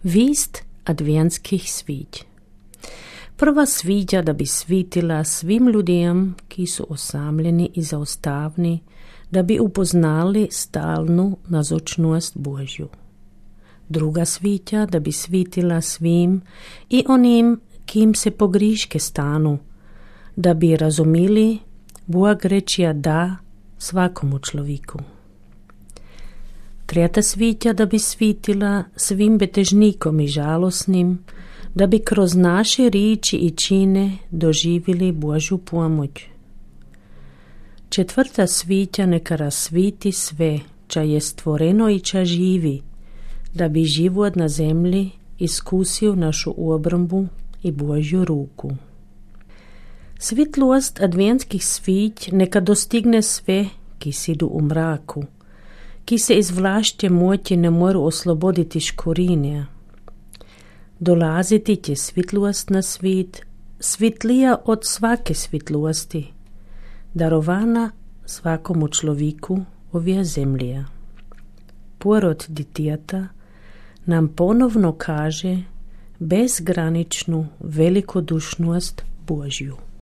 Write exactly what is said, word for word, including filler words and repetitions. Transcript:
Vist adventskih svić. Prva sviđa da bi svitila svim ljudem, ki su osamljeni i zaostavni, da bi upoznali stalnu nazočnost Božju. Druga svića da bi svitila svim i onim, kim se pogriške stanu, da bi razumili Bog rečija da svakomu človeku. Tretja svića da bi svitila svim betežnikom i žalosnim, da bi kroz naše riči i čine doživjeli Božju pomoć. Četvrta svića neka rasviti sve, ča je stvoreno i ča živi, da bi život na zemlji iskusio našu obrombu i Božju ruku. Svitlost adventskih svić neka dostigne sve, ki sidu u mraku, ki se iz vlašće moći ne moru osloboditi škorinja. Dolaziti će svitlost na svit, svitlija od svake svitlosti, darovana svakomu človeku ovija zemlja. Porod ditijata nam ponovno kaže bezgraničnu velikodušnost Božju.